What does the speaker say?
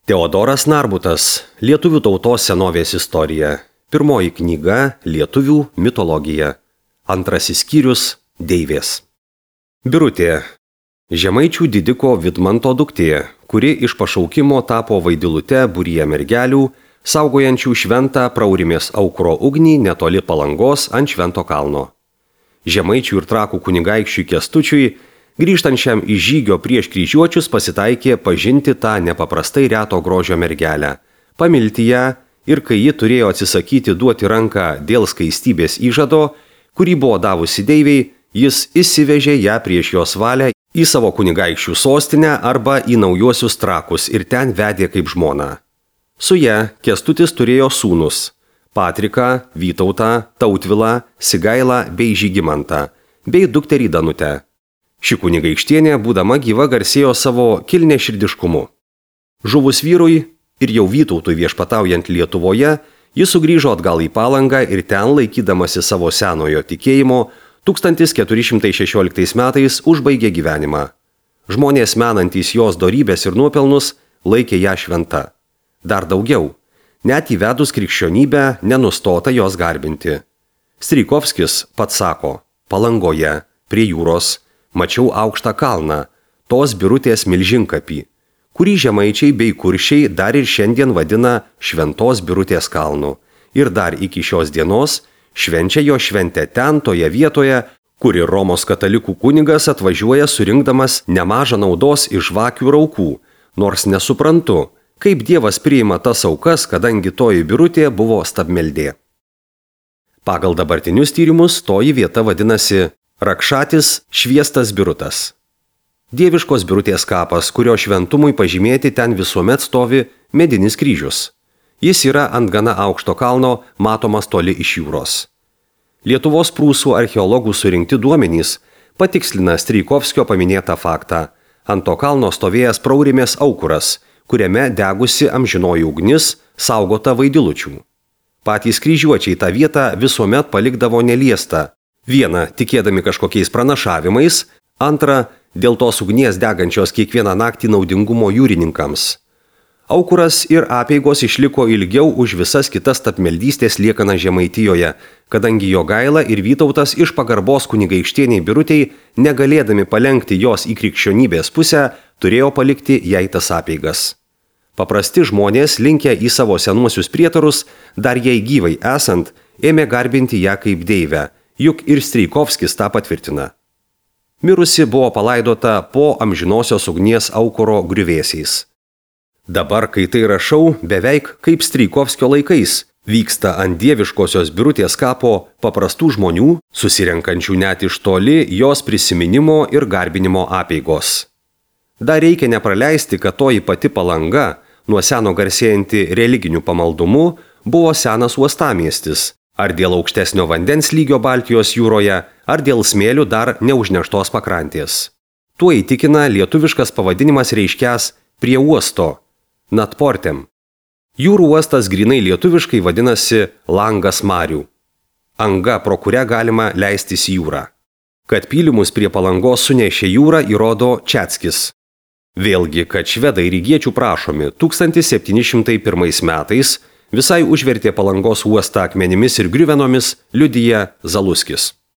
Teodoras Narbutas, Lietuvių tautos senovės istorija. Pirmoji knyga Lietuvių mitologija. Antrasis skyrius Deivės. Birutė. Žemaičių didiko Vidmanto duktė, kuri iš pašaukimo tapo vaidilute būryje mergelių, saugojančių šventą Praurimės aukuro ugnį netoli Palangos ant Švento kalno. Žemaičių ir Trakų kunigaikščiui Kęstučiui, grįžtančiam iš žygio prieš kryžiuočius, pasitaikė pažinti tą nepaprastai reto grožio mergelę, pamilti ją ir kai ji turėjo atsisakyti duoti ranką dėl skaistybės įžado, kurį buvo davusi deivei, jis įsivežė ją prieš jos valią į savo kunigaikščių sostinę arba į naujuosius Trakus ir ten vedė kaip žmoną. Su ja Kęstutis turėjo sūnus – Patriką, Vytautą, Tautvilą, Sigailą bei Žygimantą, bei dukterį Danutę. Ši kunigaikštienė, būdama gyva, garsėjo savo kilniaširdiškumu. Žuvus vyrui ir jau Vytautui viešpataujant Lietuvoje, jis sugrįžo atgal į Palangą ir ten, laikydamasi savo senojo tikėjimo, 1416 metais užbaigė gyvenimą. Žmonės menantys jos dorybės ir nuopelnus laikė ją šventa. Dar daugiau, net įvedus krikščionybę nenustota jos garbinti. Strijkovskis pats sako, Palangoje, prie jūros, mačiau aukštą kalną, tos Birutės milžinkapį, kurį žemaičiai bei kuršiai dar ir šiandien vadina Šventos Birutės kalnu ir dar iki šios dienos švenčia jo šventę ten toje vietoje, kuri Romos katalikų kunigas atvažiuoja surinkdamas nemažą naudos iš žvakių ir aukų, nors nesuprantu, kaip Dievas priima tas aukas, kadangi toji Birutė buvo stabmeldė. Pagal dabartinius tyrimus toji vieta vadinasi Rakšatis Šviestas Birutas. Dieviškos Birutės kapas, kurio šventumui pažymėti ten visuomet stovi medinis kryžius. Jis yra ant gana aukšto kalno, matomas toli iš jūros. Lietuvos prūsų archeologų surinkti duomenys patikslina Strijkovskio paminėtą faktą. Ant to kalno stovėjęs Praurimės aukuras, kuriame degusi amžinoji ugnis, saugota vaidilučių. Patys kryžiuočiai tą vietą visuomet palikdavo neliestą. Viena, tikėdami kažkokiais pranašavimais, antra, dėl tos ugnies degančios kiekvieną naktį naudingumo jūrininkams. Aukuras ir apeigos išliko ilgiau už visas kitas tapmeldystės liekana Žemaitijoje, kadangi Jogaila ir Vytautas iš pagarbos kunigaikštieniai Birutei, negalėdami palenkti jos į krikščionybės pusę, turėjo palikti jai tas apeigas. Paprasti žmonės, linkę į savo senuosius prietarus, dar jai gyvai esant, ėmė garbinti ją kaip deivę, juk ir Strijkovskis tą patvirtina. Mirusi buvo palaidota po amžinosios ugnies aukuro griuvėsiais. Dabar, kai tai rašau, beveik kaip Strijkovskio laikais, vyksta ant dieviškosios Birutės kapo paprastų žmonių, susirenkančių net iš toli jos prisiminimo ir garbinimo apeigos. Dar reikia nepraleisti, kad toji pati Palanga, nuo seno garsėjanti religiniu pamaldumu, buvo senas uostamiestis, ar dėl aukštesnio vandens lygio Baltijos jūroje, ar dėl smėlių dar neužneštos pakrantės. Tuo įtikina lietuviškas pavadinimas reiškias prie uosto, Natportem. Jūrų uostas grinai lietuviškai vadinasi langas marių. Anga, pro kurią galima leistis į jūrą. Kad pylimus prie Palangos sunešė jūrą, įrodo Čeckis. Vėlgi, kad švedai rygiečių prašomi 1701 metais visai užvertė Palangos uostą akmenimis ir griuvenomis, liudija Zaluskis.